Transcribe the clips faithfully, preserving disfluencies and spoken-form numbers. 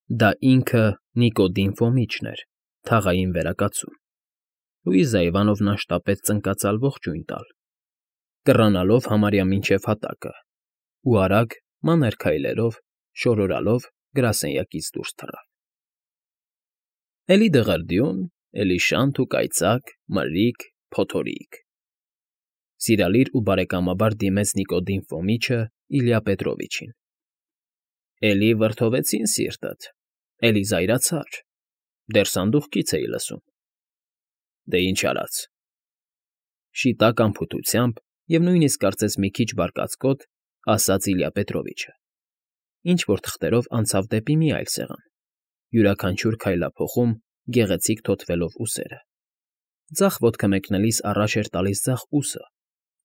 Դա ինքը Նիկոդիմ Ֆոմիչն էր, թաղային վերակացուն։ Լուիզա Իվանովնան շտապեց ծնկածալ ողջույն տալ, կռանալով համարյա մինչև հատակը, ու արագ, մանր քայլերով, շորորալով գրասենյակից դուրս թռավ։ Էլի դղրդյուն, էլի շանթ ու կայծակ, մրրիկ, փոթորիկ,֊ սիրալիր ու բարեկամաբար դիմեց Նիկոդիմ Ֆոմիչը Իլյա Պետրովիչին։֊ Էլի վրդովեցին սիրտդ, էլի զայրացար, դեռ սանդուղքից էի լսում։ Դե ինչ արած,֊ շիտակ անփութությամբ և նույնիսկ կարծես մի քիչ բարկացկոտ ասաց Իլյա Պետրովիչը, ինչ֊որ թղթերով անցավ դեպի մի այլ սեղան, յուրաքանչյուր քայլափոխում գեղեցիկ թոթվելով ուսերը. ձախ ոտքը մեկնելիս առաջ էր տալիս ձախ ուսը,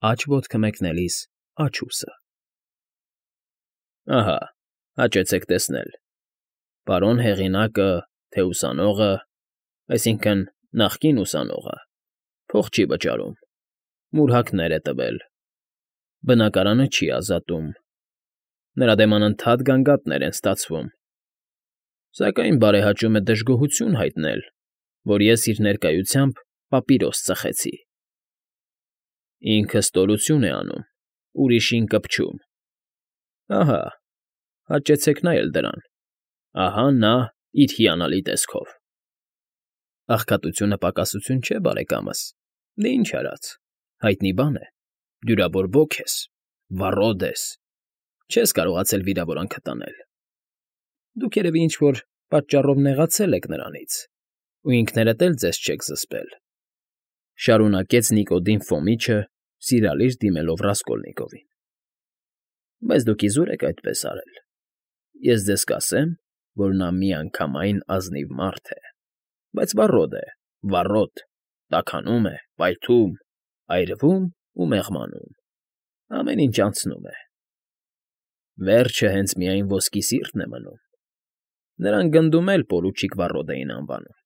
աջ ոտքը մեկնելիս աջ ուսը։ Ահա, հաճեցեք տեսնել, պարոն հեղինակը, թե ուսանողը, այսինքն՝ նախկին ուսանողը, փող չի վճարում, մուրհակներ է տվել, բնակարանը չի ազատում, նրա դեմ անընդհատ գանգատներ են ստացվում, սակայն բարեհաճում է դժգոհություն հայտնել, որ ես իր ներկայությամբ պապիրոս ծխեցի։ Ինքը ստորություն է անում, ուրիշին կպչում։ Ահա, հաճեցեք նայել դրան, ահա նա իր հիանալի տեսքով։ Աղքատությունը պակասություն չէ, բարեկամս, դե ինչ արած, հայտնի բան է, դյուրավոր ոք ես, վառոդ ես, չես կարողացել վիրավորանքդ անել։ Դուք երևի ինչ֊որ պատճառով նեղացել եք նրանից, ու ինքներդ էլ ձեզ չեք զսպել,֊ շարունակեց Նիկոդիմ Ֆոմիչը, սիրալիր դիմելով Ռասկոլնիկովին։ Բայց դուք իզուր եք այդպես արել։ Ես ձեզ կասեմ, որ նա միանգամայն ազնիվ մարդ է, բայց վառոդ է, վառոդ, տաքանում է, պայթում, այրվում ու մեղմանում, ամեն ինչ անցնում է։ Վերջը հենց միայն ոսկի սիրտն է մնում։ Նրան գնդում էլ պորուչիկ Վառոդ էին անվանում։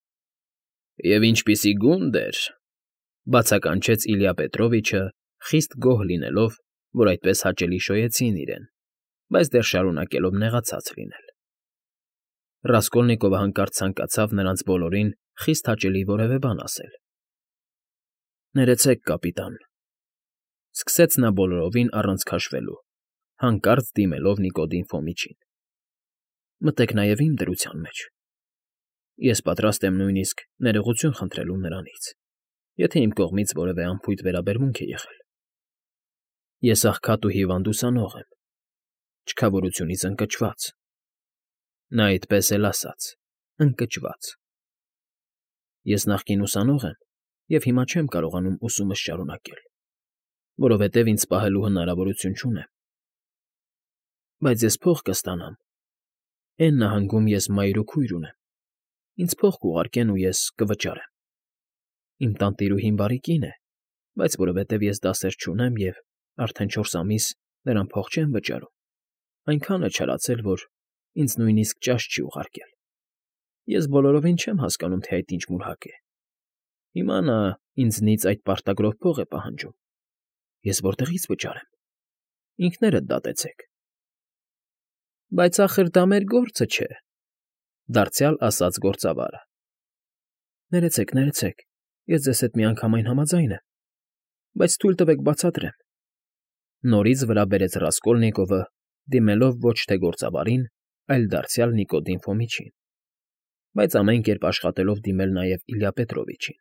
Եվ ինչպիսի գունդ էր,֊ բացականչեց Իլյա Պետրովիչը, խիստ գոհ լինելով, որ այդպես հաճելի շոյեցին իրեն, բայց դեռ շարունակելով նեղացած լինել։ Ռասկոլնիկովը հանկարծ ցանկացավ նրանց բոլորին խիստ հաճելի որևէ բան ասել։ Ներեցեք, կապիտան,֊ սկսեց նա բոլորովին առանց քաշվելու, հանկարծ դիմելով Նիկոդիմ Ֆոմիչին,֊ մտեք նաև իմ դրության մեջ։ Ես պատրաստ եմ նույնիսկ ներողություն խնդրելու նրանից, եթե իմ կողմից որևէ անփույթ վերաբերմունք է եղել։ Ես աղքատ ու հիվանդ ուսանող եմ, չքավորությունից ընկճված։ Նա այդպես էլ ասաց՝ ընկճված։ Ես նախկին ուսանող եմ և հիմա չեմ կարողանում ուսումս շարունակել, որովհետև ինձ պահելու հնարավորություն չունեմ։ Բայց ես փող կստանամ, էն նահանգում ես մայր ու քույր ունեմ, ինձ փող կուղարկեն ու ես կվճարեմ։ Իմ տանտիրուհին բարի կին է, բայց որովհետև ես դասեր չունեմ և արդեն չորս ամիս նրան փող չեմ վճարում, այնքան է չարացել, որ ինձ նույնիսկ ճաշ չի ուղարկել։ Ես բոլորովին չեմ հասկանում, թե այդ ինչ մուրհակ է։ Հիմա նա ինձնից այդ պարտագրով փող է պահանջում։ Ես որտեղի՞ց վճարեմ։ Ինքներդ դատեցեք։ Բայց ախր դա մեր գործը չէ,֊ դարձյալ ասաց գործավարը։ Ներեցեք, ներեցեք, ես ձեզ հետ միանգամայն համաձայն եմ, բայց թույլ տվեք բացատրեմ,֊ նորից վրա բերեց Ռասկոլնիկովը, դիմելով ոչ թե գործավարին, այլ դարձյալ Նիկոդիմ Ֆոմիչին, բայց ամեն կերպ աշխատելով դիմել նաև Իլյա Պետրովիչին,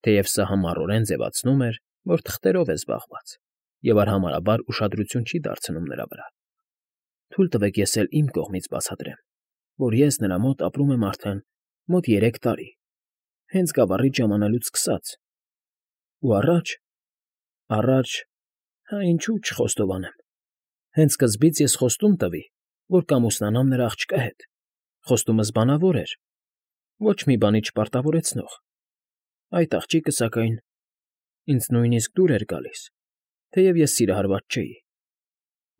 թեև սա համառորեն ձևացնում էր, որ թղթերով է զբաղված և արհամարհաբար ուշադրություն չի դարձնում նրա վրա։ Թույլ տվեք ես էլ իմ կողմից բացատրեմ, որ ես նրա մոտ ապրում եմ արդեն մոտ երեք տարի, հենց գավառից ժամանելուց սկսած, ու առաջ, առաջ, հա ինչու չխոստովանեմ, հենց սկզբից ես խոստում տվի, որ կամուսնանամ նրա աղջկա հետ, խոստումս բանավոր էր, ոչ մի բանի չպարտավորեցնող, այդ աղջիկը, սակայն, ինձ նույնիսկ դուր էր գալիս, թեև ես սիրահարված չէի։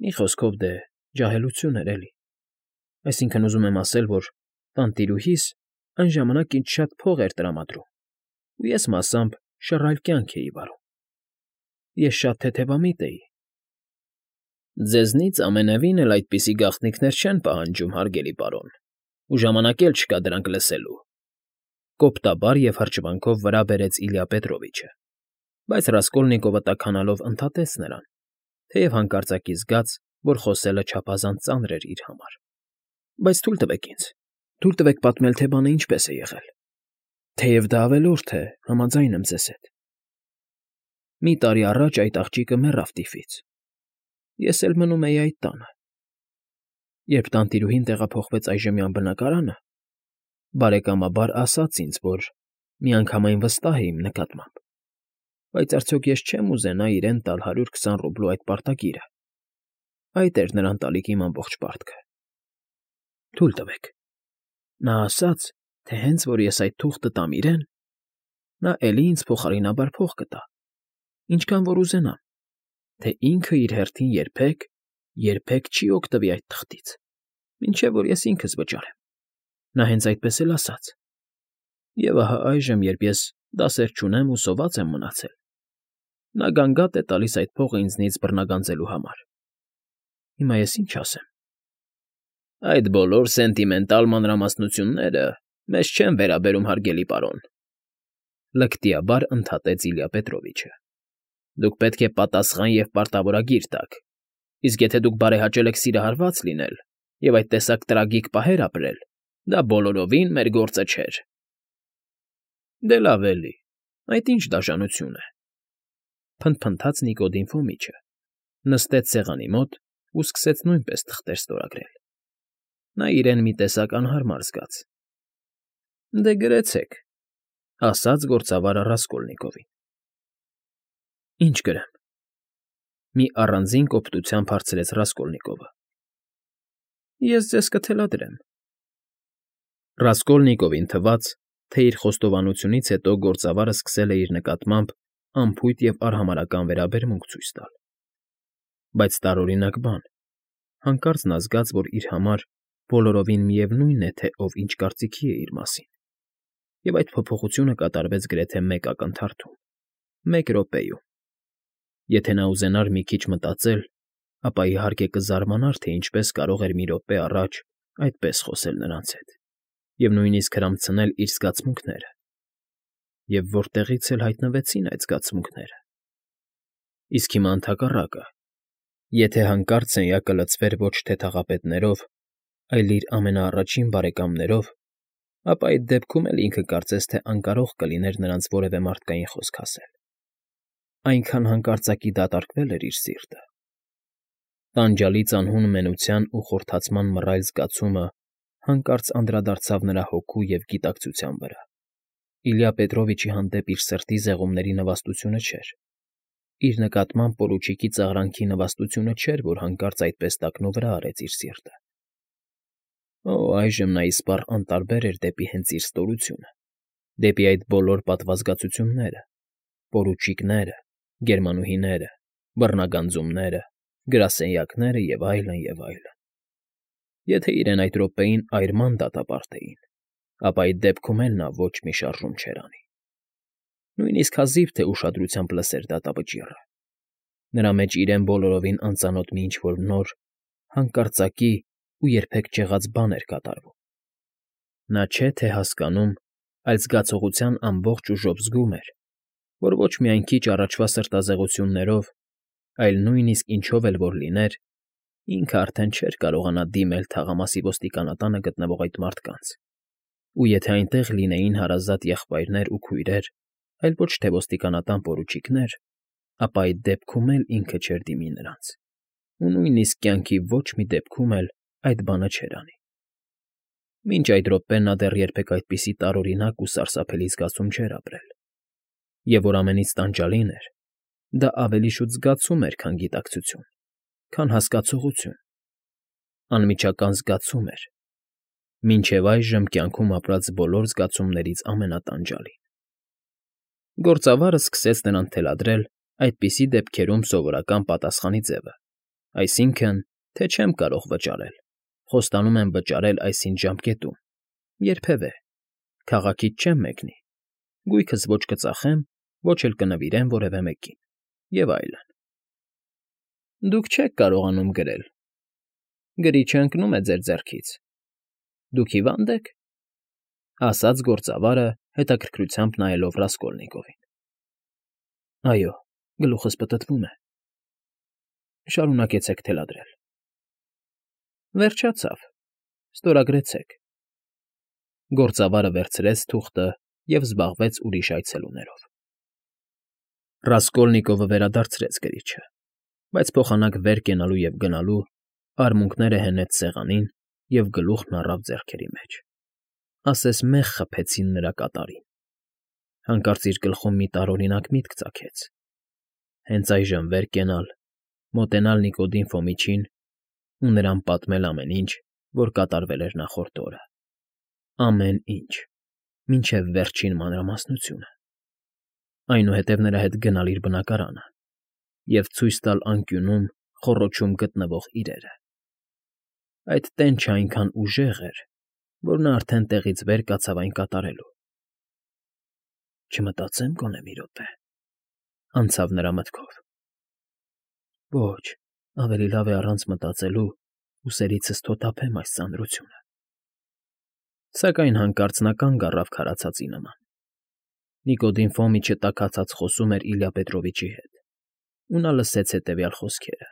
Մի խոսքով դե ջահելություն էր էլի, այսինքն ուզում եմ ասել, որ տանտիրուհիս այն ժամանակ ինձ շատ փող էր տրամադրում, ու ես մասամբ շռայլ կյանք էի վարում։ Ես շատ թեթևամիտ էի։ Ձեզնից ամենևին էլ այդպիսի գաղտնիքներ չեն պահանջում, հարգելի պարոն, ու ժամանակ էլ չկա դրանք լսելու,֊ կոպտաբար և հրճվանքով վրա բերեց Իլյա Պետրովիչը, բայց Ռասկոլնիկովը տաքանալով ընդհատեց նրան, թեև հանկարծակի զգաց, որ խոսելը չափազանց ծանր էր իր համար։ ֊ Բայց թույլ տվեք ինձ, թույլ տվեք պատմել, թե բանը ինչպես է եղել, թեև դա ավելորդ է, համաձայն եմ ձեզ հետ։ Մի տարի առաջ այդ աղջիկը մեռավ տիֆից, ես էլ մնում էի այդ տանը։ Երբ տանտիրուհին տեղափոխվեց այժմյան բնակարանը, բարեկամաբար ասաց ինձ, որ միանգամայն վստահ է իմ նկատմամբ, բայց արդյոք ես չեմ ուզենա իրեն տալ հարյուր քսան ռուբլու այդ պարտագիրը. այդ էր նրան տալիք իմ ամբողջ պարտքը։ Թույլ տվեք։ Նա ասաց, թե հենց որ ես այդ թուղթը տամ իրեն, նա էլի ինձ փոխարինաբար փող կտա, ինչքան որ ուզենամ, թե ինքը իր հերթին երբեք, երբեք չի օգտվի այդ թղթից, մինչև որ ես ինքս վճարեմ։ Նա հենց այդպես էլ ասաց։ Եվ ահա այժմ, երբ ես դասեր չունեմ ու սոված եմ մնացել, նա գանգատ է տալիս այդ փողը ինձնից բռնագանձելու համար։ Հիմա ես ինչ ասեմ։ Այդ բոլոր սենտիմենտալ մանրամասնությունները մեզ չեն վերաբերում, հարգելի պարոն,֊ լկտիաբար ընդհատեց Իլյա Պետրովիչը։ Դուք պետք է պատասխան և պարտավորագիր տաք, իսկ եթե դուք բարեհաճել եք սիրահարված լինել և այդ տեսակ տրագիկ պահեր ապրել, դա բոլորովին մեր գործը չէր։ Դե լավ էլի, այդ ինչ դաժանություն է,֊ փնթփնթաց Նիկոդիմ Ֆոմիչը, նստեց սեղանի մոտ ու սկսեց նույնպես թղթեր ստորագրել։ Նա իրեն մի տեսակ անհարմար զգաց։ Դե գրեցեք,֊ ասաց գործավարը Ռասկոլնիկովին։ Ինչ գրեմ,֊ մի առանձին կոպտությամբ հարցրեց Ռասկոլնիկովը։ Ես ձեզ կթելադրեմ։ Ռասկոլնիկովին թվաց, թե իր խոստովանությունից հետո գործավարը սկսել է իր նկատմամբ անփույթ և արհամարհական վերաբերմունք ցույց տալ։ Բայց տարօրինակ բան, հանկարծ նա զգաց, որ իր համար բոլորովին միևնույն է, թե ով ինչ կարծիքի է իր մասին, և այդ փոփոխությունը կատարվեց գրեթե մեկ ակնթարթում, մեկ րոպեում։ Եթե նա ուզենար մի քիչ մտածել, ապա իհարկե կզարմանար, թե ինչպես կարող էր մի րոպե առաջ այդպես խոսել նրանց հետ և նույնիսկ հրամցնել իր զգացմունքները, և որտեղից էլ հայտնվեցին այդ զգացմունքները։ Իսկ հիմա ընդհակառակը, եթե հանկարծ սենյակը լցվեր ոչ թե թաղապետներով, այլ իր ամենաառաջին բարեկամներով, ապա այդ դեպքում էլ ինքը կարծես թե անկարող կլիներ նրանց որևէ մարդկային խոսք ասել։ Այնքան հանկարծակի դատարկվել էր իր սիրտը։ Տանջալից անհուն մենության ու խորթացման մռայլ զգացումը հանկարծ անդրադարձավ նրա հոգու և գիտակցության վրա։ Իլյա Պետրովիչի հանդեպ իր սրտի զեղումների նվաստությունը չէր, իր նկատմամբ պորուչիկի ծաղրանքի նվաստությունը չէր, որ հանկարծ այդպես տակնուվրա արեց իր սիրտը։ Օ, այժմ նա իսպառ անտարբեր էր դեպի հենց իր ստորությունը, դեպի այդ բոլոր պատվազգացությունները, պորուչիկները, գերմանուհիները, բռնագանձումները, գրասենյակները և այլն, և այլն։ Եթե իրեն այդ րոպեին այրման դատապարտեին, ապա այդ դեպքում էլ նա ոչ մի շարժում չէր անի։ Նույնիսկ հազիվ թե ուշադրությամբ լսեր դատավճիռը։ Նրա մեջ իրեն բոլորովին անծանոթ մի ինչ֊որ նոր, հանկարծակի ու երբեք չեղած բան էր կատարվում։ Նա չէ թե հասկանում, այլ զգացողության ամբողջ ուժով զգում էր, որ ոչ միայն քիչ առաջվա սրտազեղություններով, այլ նույնիսկ ինչով էլ որ լիներ, ինքը արդեն չէր կարողանա դիմել թաղամասի ոստիկանատանը գտնվող այդ մարդկանց, ու եթե այնտեղ լինեին հարազատ եղբայրներ ու քույրեր, այլ ոչ թե ոստիկանական պորուչիկներ, ապա այդ դեպքում էլ ինքը չէր դիմի նրանց, ու նույնիսկ կյանքի ոչ մի դեպքում էլ այդ բանը չէր անի։ Մինչ այդ րոպեն նա դեռ երբեք այդպիսի տարօրինակ ու սարսափելի զգացում չէր ապրել։ Եվ որ ամենից տանջալին էր, դա ավելի շուտ զգացում էր, քան գիտակցություն, քան հասկացողություն, անմիջական զգացում էր, մինչև այժմ կյանքում ապրած բոլոր զգացումներից ամենատանջալին։ Գործավարը սկսեց նրան թելադրել այդպիսի դեպքերում սովորական պատասխանի ձևը, այսինքն, թե չեմ կարող վճարել, խոստանում եմ վճարել այսինչ ժամկետում, երբևէ, քաղաքից չեմ մեկնի, գույքս ոչ կծախեմ, ոչ էլ կնվիրեմ որևէ մեկին, և այլն։ Դուք չեք կարողանում գրել, գրիչը ընկնում է ձեր ձեռքից, Դուք հիվա՞նդ եք,֊ ասաց գործավարը, հետաքրքրությամբ նայելով Ռասկոլնիկովին։ ֊ Այո, գլուխս պտտվում է։ ֊ Շարունակեցեք թելադրել։ ֊ Վերջացավ, ստորագրեցեք։ Գործավարը վերցրեց թուղթը և զբաղվեց ուրիշ այցելուներով։ Ռասկոլնիկովը վերադարձրեց գրիչը, բայց փոխանակ վեր կենալու և գնալու արմունկները հենեց սեղանին և գլուխն առավ ձեռքերի մեջ, ասես մեղ խփեցին նրա կատարին։ Հանկարծ իր գլխում մի տարօրինակ միտք ծագեց. հենց այժմ վեր կենալ, մոտենալ Նիկոդիմ Ֆոմիչին ու նրան պատմել ամեն ինչ, որ կատարվել էր նախորդ օրը, ամեն ինչ, մինչև վերջին մանրամասնությունը, այնուհետև նրա հետ գնալ իր բնակարանը և ցույց տալ անկյունում խոռոչում գտնվող իրերը։ Այդ տենչն այնքան ուժեղ էր, որ նա արդեն տեղից վեր կացավ այն կատարելու։ «Չմտածեմ գոնե մի րոպե,֊ անցավ նրա մտքով։ Ոչ, ավելի լավ է առանց մտածելու ուսերիցս թոթափեմ այս ծանրությունը»։ Սակայն հանկարծ նա կանգ առավ քարացածի նման։ Նիկոդիմ Ֆոմիչը տաքացած խոսում էր Իլյա Պետրովիչի հետ, ու նա լսեց հետևյալ խոսքերը.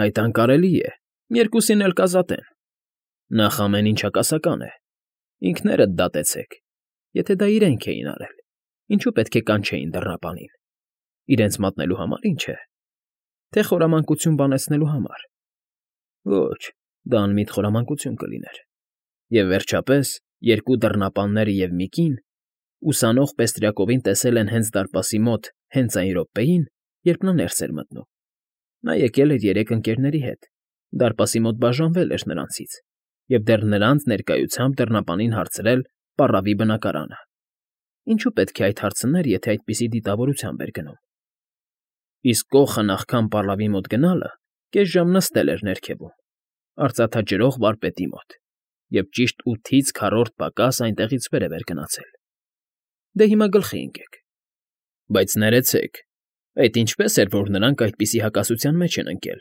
«Այդ անկարելի է, երկուսին էլ կազատեն։ Նախ ամեն ինչ հակասական է, ինքներդ դատեցեք, եթե դա իրենք էին արել, ինչու պետք է կանչեին դռնապանին, իրենց մատնելու համար, ինչ է, թե խորամանկություն բանեցնելու համար։ Ոչ, դա անմիտ խորամանկություն կլիներ։ Եվ վերջապես, երկու դռնապանները և մի կին ուսանող Պեստրյակովին տեսել են հենց դարպասի մոտ հենց այն րոպեին, երբ նա ներս էր մտնում։ Նա եկել էր երեք ընկերների հետ, դարպասի մոտ բաժանվել էր նրանցից և դեռ նրանց ներկայությամբ դռնապանին հարցրել պառավի բնակարանը։ Ինչու պետք է այդ հարցներ, եթե այդպիսի դիտավորությամբ էր գնում։ Իսկ կոխը նախքան պառավի մոտ գնալը կես ժամ նստել էր ներքևում, արծաթաջրող վարպետի մոտ, և ճիշտ ութից քառորդ պակաս այնտեղից վերև էր գնացել։ Դե հիմա գլխի ընկեք։ Բայց ներեցեք, այդ ինչպե՞ս էր, որ նրանք այդպիսի հակասության մեջ են ընկել։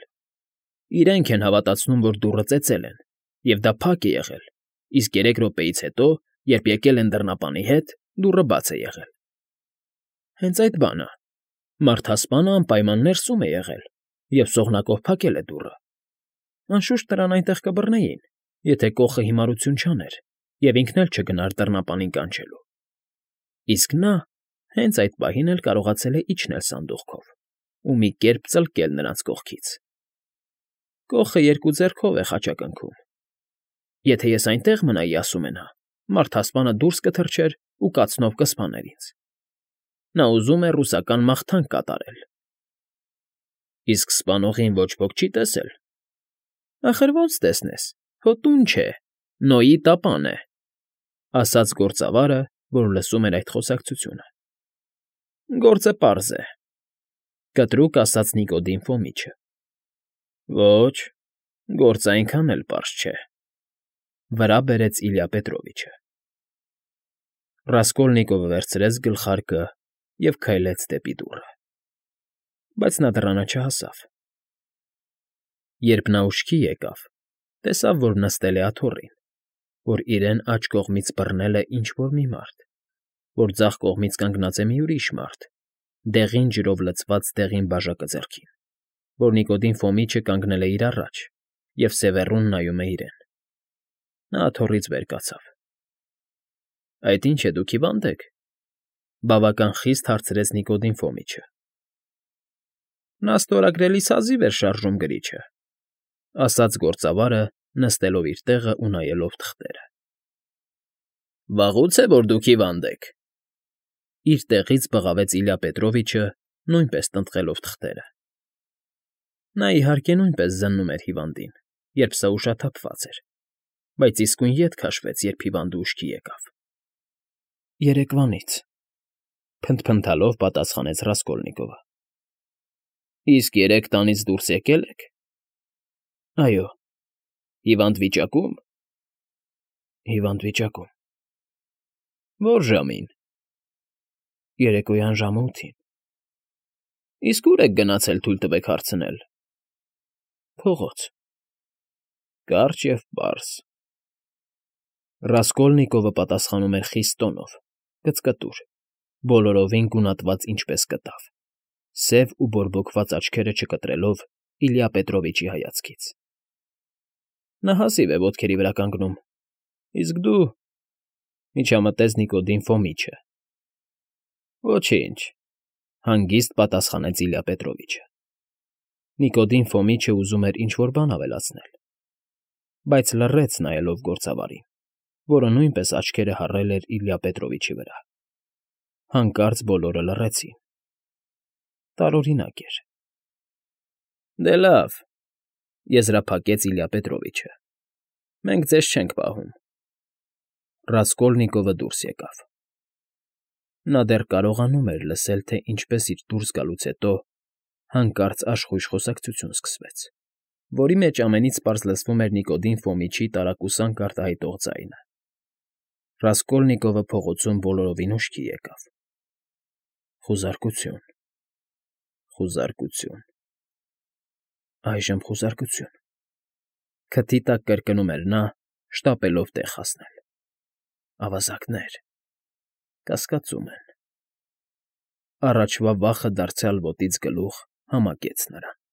Իրենք են հավատացնում, որ դուռը ծեծել են, և դա փակ է եղել, իսկ երեք րոպեից հետո, երբ եկել են դռնապանի հետ, դուռը բաց է եղել։ Հենց այդ բանը. մարդասպանը անպայման ներսում է եղել և սողնակով փակել է դուռը։ Անշուշտ նրան այնտեղ կբռնեին, եթե կոխը հիմարություն չաներ և ինքն էլ չգնար դռնապանին կանչելու։ Իսկ նա հենց այդ պահին էլ կարողացել է իջնել սանդուղքով ու մի կերպ ծլկել նրանց կողքից։ Կոխը երկու ձեռքով է խաչակնքում։ Եթե ես այնտեղ մնայի, ասում է նա, մարդասպանը դուրս կթռչեր ու կացնով կսպաներ ինձ։ Նա ուզում է ռուսական մաղթանք կատարել։ Իսկ սպանողին ոչ ոք չի տեսել։ Ախր ո՞նց տեսնես, քո տուն չէ, Նոյի տապան է,֊ ասաց գործավարը, որ լսում էր այդ խոսակցությունը։ Գործը պարզ է,֊ կտրուկ ասաց Նիկոդիմ Ֆոմիչը։ Ոչ, գործը այնքան էլ պարզ չէ,֊ վրա բերեց Իլյա Պետրովիչը։ Ռասկոլնիկովը վերցրեց գլխարկը և քայլեց դեպի դուռը։ Բայց նա դռանը չհասավ։ Երբ նա ուշքի եկավ, տեսավ, որ նստել է աթոռին, որ իրեն աջ կողմից բռնել է ինչ֊որ մի մարդ, որ ձախ կողմից կանգնած է մի ուրիշ մարդ, դեղին ջրով լցված դեղին բաժակը ձեռքին, որ Նիկոդիմ Ֆոմիչը կանգնել է իր առաջ և սևեռուն նայում է իրեն։ Նա աթոռից վեր կացավ։ ֊ Այդ ինչ է, դուք հիվա՞նդ եք,֊ բավական խիստ հարցրեց Նիկոդիմ Ֆոմիչը։ Նա ստորագրելիս հազիվ էր շարժում գրիչը,֊ ասաց գործավարը, նստելով իր տեղը ու նայելով թղթերը։ ֊ Վաղուց է, որ դուք հիվանդ եք,֊ իր տեղից բղավեց Իլյա Պետրովիչը, նույնպես տնտղելով թղթերը։ Նա, իհարկե, նույնպես զննում էր հիվանդին, երբ սա ուշաթափված էր, բայց իսկույն ետ քաշվեց, երբ հիվանդը ուշքի եկավ։ ֊ Երեկվանից,֊ փնթփնթալով պատասխանեց Ռասկոլնիկովը։ ֊ Իսկ երեկ տանից դուրս եկե՞լ եք։ ֊ Այո։ ֊ Հիվանդ վիճակո՞ւմ։ ֊ Հիվանդ վիճակում։ ֊ Ո՞ր ժամին։ ֊ Երեկոյան ժամը ութին։ ֊ Իսկ ո՞ւր եք գնացել, թույլ տվեք հարցնել։ ֊ Փողոց։ ֊ Կարճ և պարզ։ Ռասկոլնիկովը պատասխանում էր խիստ տոնով, կծկտուր, բոլորովին գունատված ինչպես կտավ, սև ու բորբոքված աչքերը չկտրելով Իլյա Պետրովիչի հայացքից։ Նա հազիվ է ոտքերի վրա կանգնում, իսկ դու…֊ միջամտեց Նիկոդիմ Ֆոմիչը։ Ոչինչ,֊ հանգիստ պատասխանեց Իլյա Պետրովիչը։ Նիկոդիմ Ֆոմիչը ուզում էր ինչ֊որ բան ավելացնել, բայց լռեց, նայելով գործավարին, որը նույնպես աչքերը հառել էր Իլյա Պետրովիչի վրա։ Հանկարծ բոլորը լռեցին։ Տարօրինակ էր։ ֊ Դե լավ,֊ եզրափակեց Իլյա Պետրովիչը,֊ մենք ձեզ չենք պահում։ Ռասկոլնիկովը դուրս եկավ։ Նա դեռ կարողանում էր լսել, թե ինչպես իր դուրս գալուց հետո հանկարծ աշխույժ խոսակցություն սկսվեց, որի մեջ ամենից պարզ լսվում էր Նիկոդիմ Ֆոմիչի տարակուսանք արտահայտող ձայնը։ Ռասկոլնիկովը փողոցում բոլորովին ուշքի եկավ։ Խուզարկություն… խուզարկություն… Այժմ խուզարկություն… Քթի տակ կրկնում էր նա, շտապելով տեղ հասնել։ Ավազակներ… կասկածում են… Առաջվա վախը դարձյալ ոտից գլուխ համակեց նրան։